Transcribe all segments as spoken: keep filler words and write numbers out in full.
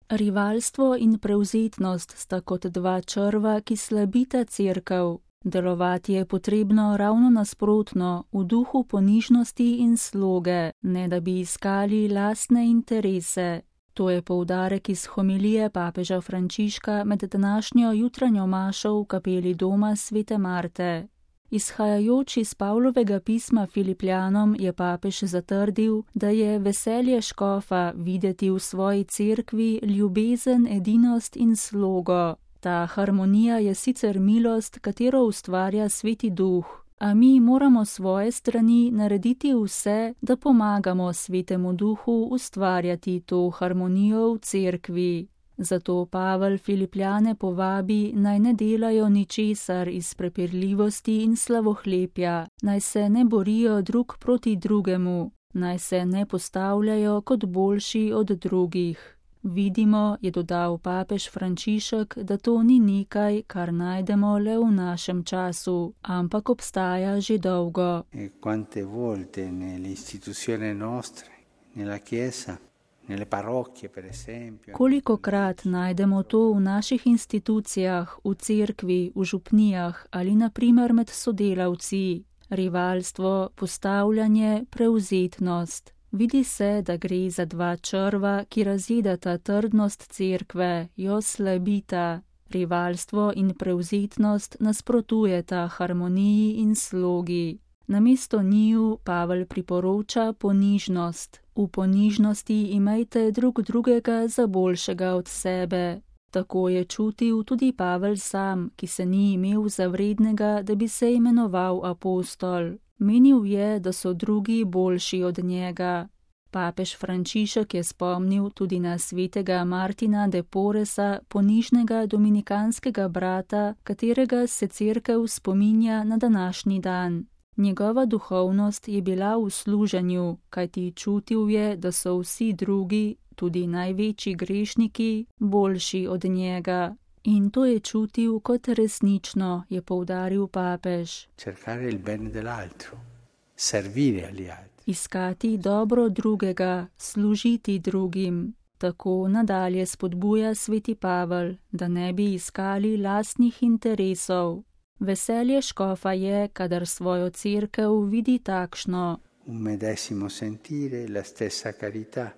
Rivalstvo in prevzetnost sta kot dva črva, ki slabita cerkev. Delovati je potrebno ravno nasprotno, v duhu ponižnosti in sloge, ne da bi iskali lastne interese. To je poudarek iz homilije papeža Frančiška med današnjo jutranjo mašo v kapeli doma svete Marte. Izhajajoč iz Pavlovega pisma Filipljanom je papež zatrdil, da je veselje škofa videti v svoji cerkvi ljubezen, edinost in slogo. Ta harmonija je sicer milost, katero ustvarja Sveti Duh, a mi moramo svoje strani narediti vse, da pomagamo Svetemu Duhu ustvarjati to harmonijo v cerkvi. Zato Pavel Filipljane povabi, naj ne delajo ničesar iz prepirljivosti in slavohlepja, naj se ne borijo drug proti drugemu, naj se ne postavljajo kot boljši od drugih. Vidimo, je dodal papež Frančišek, da to ni nekaj, kar najdemo le v našem času, ampak obstaja že dolgo. E quante volte nelle istituzioni nostre, nella chiesa, nelle parrocchie per esempio. Kolikokrat najdemo to v naših institucijah, v cerkvi, v župnijah ali na primer med sodelavci. Rivalstvo, postavljanje, prevzetnost. Vidi se, da gre za dva črva, ki razjedata trdnost cerkve, jo slabita. Rivalstvo in prevzetnost nasprotujeta harmoniji in slogi. Namesto njiju Pavel priporoča ponižnost. V ponižnosti imejte drug drugega za boljšega od sebe. Tako je čutil tudi Pavel sam, ki se ni imel za vrednega, da bi se imenoval apostol. Menil je, da so drugi boljši od njega. Papež Frančišek je spomnil tudi na svetega Martina de Porresa, ponižnega dominikanskega brata, katerega se cerkev spominja na današnji dan. Njegova duhovnost je bila v služenju, kajti čutil je, da so vsi drugi, tudi največji grešniki, boljši od njega. In to je čutil kot resnično, je poudaril papež. Cercare il bene dell'altro, servire agli altri. Iskati dobro drugega, služiti drugim. Tako nadalje spodbuja sveti Pavel, da ne bi iskali lastnih interesov. Veselje škofa je, kadar svojo cerkev vidi takšno. Un medesimo sentire, la stessa carità.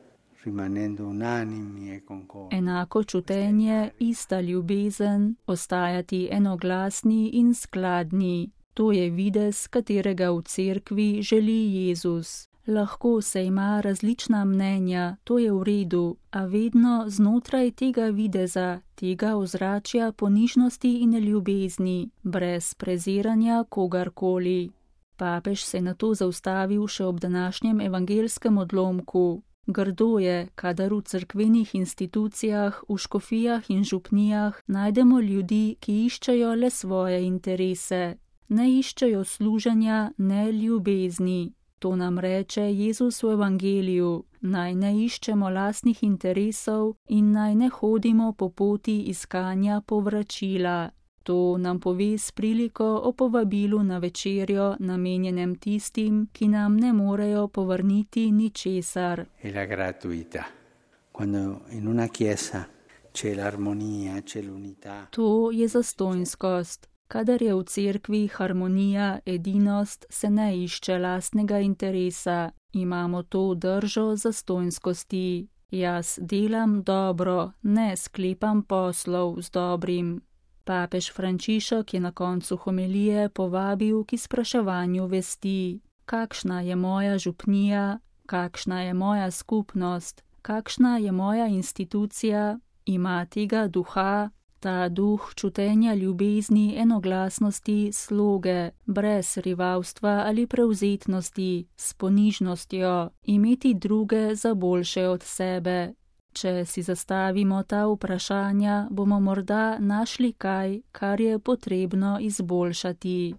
Enako čutenje, ista ljubezen, ostajati enoglasni in skladni. To je videz, katerega v cerkvi želi Jezus. Lahko se ima različna mnenja, to je v redu, a vedno znotraj tega videza, tega ozračja ponižnosti in ljubezni, brez preziranja kogarkoli. Papež se je nato zaustavil še ob današnjem evangelskem odlomku. Grdo je, kadar v cerkvenih institucijah, v škofijah in župnijah najdemo ljudi, ki iščejo le svoje interese. Ne iščejo služenja, ne ljubezni. To nam reče Jezus v evangeliju, naj ne iščemo lastnih interesov in naj ne hodimo po poti iskanja povračila. To nam pove s priliko o povabilu na večerjo, namenjenem tistim, ki nam ne morejo povrniti ničesar. E la gratuità. Quando in una chiesa c'è l'armonia, c'è l'unità. To je zastonjskost. Kadar je v cerkvi harmonija, edinost, se ne išče lastnega interesa. Imamo to držo zastonjskosti. Jaz delam dobro, ne sklepam poslov z dobrim. Papež Frančišek je na koncu homilije povabil k izpraševanju vesti. Kakšna je moja župnija, kakšna je moja skupnost, kakšna je moja institucija, ima tega duha, ta duh čutenja ljubezni, enoglasnosti, sloge, brez rivalstva ali prevzetnosti, s ponižnostjo, imeti druge za boljše od sebe. Če si zastavimo ta vprašanja, bomo morda našli kaj, kar je potrebno izboljšati.